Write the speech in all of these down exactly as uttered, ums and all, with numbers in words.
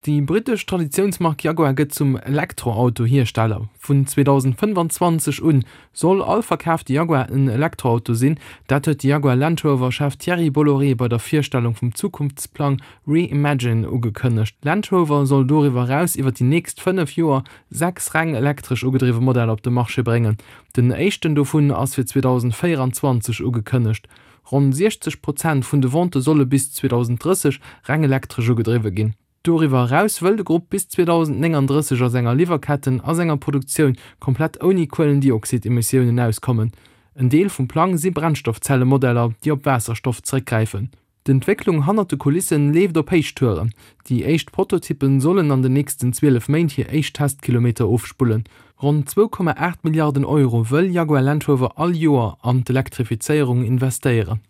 Déi brittesch Traditiounsmark Jaguar gëtt zum Elektroauto-Hiersteller. Vun zweedausendfënnefanzwanzeg un soll all verkaafte Jaguar en Elektroauto sinn. Dat huet de Jaguar Land Rover Chef Thierry Bolloré bei der Virstellung vum Zukunftsplang Reimagine ugekënnegt. Land Rover soll doriwwer eraus iwwer déi nächst fënnef Joer sechs reng elektresch ugedriwwe Modeller op de Marché bréngen. Den éischten dovun ass fir zweedausendvéieranzwanzeg ugekënnegt. Ronn siechzeg Prozent vun de Vente solle bis zweedausendrësseg reng elektresch ugedriwwe ginn. Doriwwer eraus wëll de Grupp bis zweedausendnénganddrësseg a senger Liwwerketten a senger Produktioun komplett ouni Kuelendioxid-Emissiounen auskommen. En Deel vum Plang si Brennstoffzelle-Modeller, déi op Waasserstoff zeréckgräifen. D'Entwécklung hannert de Kulissen leeft op Héichtouren. Déi éischt Prototyppe sollen an den nächsten zwielef Méint hir éischt Testkilometer ofspullen. Ronn zwou Komma aacht Milliarden Euro wëll Jaguar Land Rover all Joer an d'Elektrifizéierung investéieren.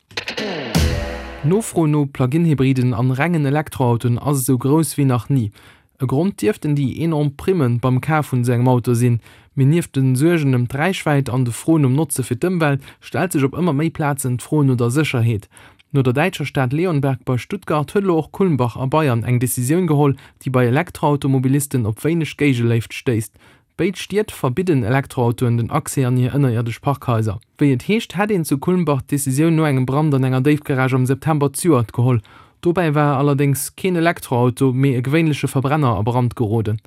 D'Nofro no Plug-in-Hybriden an rengen Elektroautoen ass esou grouss wéi nach ni. E Grond dierften déi enorm Primme beim Kaf vun esou engem Auto sinn. Mee nieft de Suergen ëm d'Räichwäit an de Fro nom Notze fir d'Ëmwelt stellt sech op ëmmer méi Plazen d'Fro no der Sécherheet. No der däitscher Stad Leonberg bei Stuttgart huet elo och Kulmbach a Bayern eng Decisioun geholl, déi bei Elektroautomobilisten op wéineg Géigeléift stéisst. Béid Stied verbidden Elektroautoen den Accès an hir ënnerierdesch Parkhaiser. Wéi et heescht, hätt een zu Kulmbach d'Decisioun no engem Brand an enger Déifgarage am September zejoert geholl. Dobäi war allerdéngs keen Elektroauto, mee e gewéinleche Verbrenner a Brand geroden.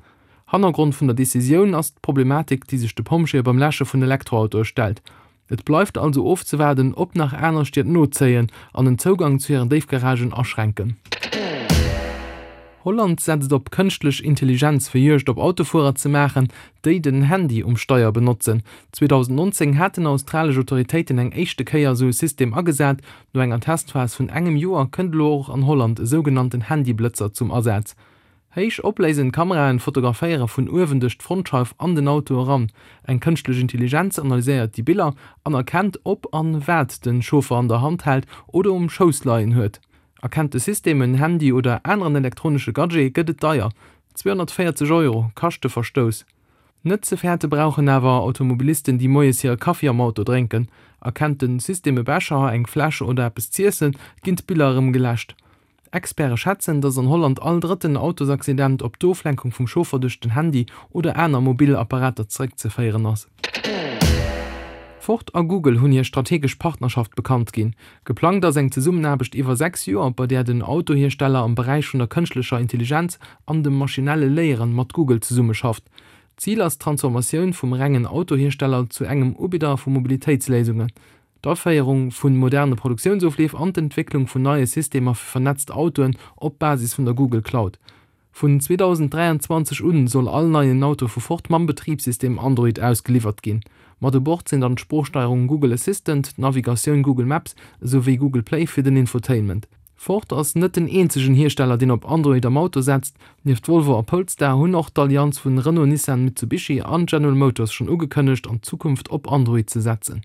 Hannergrond vun der Decisioun ass d'Problematik, déi sech de Pompjeeë beim Läsche vun Elektroautoe stellt. Et bleift also ofzewaarden, ob nach aner Stied nozéien an den Zougang zu hiren Déifgaragen aschränken. Holland setzt op kënschtlech Intelligenz fir Juegd op Autofuerer ze maachen, déi den Handy um Steier benotzen. zweedausendnonzéng haten australesch Autoritéiten eng éischte Kéier esou e System agesat. No enger Testphas vun engem Joer kënnt elo och an Holland e sougenannten Handyblëtzer zum Asaz. Héich opléisend Kameraen fotograféiere vun uewen duerch d'Frontscheif an den Auto eran. Eng kënschtlech Intelligenz analyséiert déi Biller an erkennt, ob an wat de Chauffer an der Hand hält oder um Schouss leien huet. Erkennt de System en Handy oder aneren elektronesche Gadget, gëtt et deier, zweehonnertvéierzeg Euro kascht de Verstouss. Net ze fäerte brauchen awer Automobilisten, déi moies hire Kaffi am Auto drénken. Erkennt de System e Becher, eng Fläsch oder eppes z'iessen, ginn d'Biller erëm geläscht. Experte schätzen, datt an Holland all drëtten Autosaccident op d'Oflenkung vum Chauffer duerch den Handy oder aner mobil Apparater zeréckzeféieren ass. Ford a Google hunn hir strategesch Partnerschaft bekannt ginn. Geplangt ass eng Zesummenaarbecht iwwer sechs Joer, bei där den Autohiersteller am Beräich vun der kënschtlecher Intelligenz an dem maschinelle Léieren mat Google zesummeschafft. Zil ass d'Transformatioun vum rengen Autohiersteller zu engem Ubidder vu Mobilitéitsléisungen, d'Aféierung vu moderne Produktiounsofleef an d'Entwécklung vun neie Systemer fir vernetzt Autoen op Basis vun der Google Cloud. Vun zweedausendräianzwanzeg un soll all neien Auto vu Ford mam Betribssystem Android ausgeliwwert ginn. Mat u Bord sinn dann d'Sproochsteierung Google Assistant, d'Navigatioun Google Maps esou wéi Google Play fir den Infotainment. Ford ass net den eenzegen Hiersteller deen op Android am Auto setzt. Nieft Volvo a Polestar hunn och d'Allianz vun Renault, Nissan, Mitsubishi an General Motors schonn ugekënnegt an Zukunft op Android ze setzen.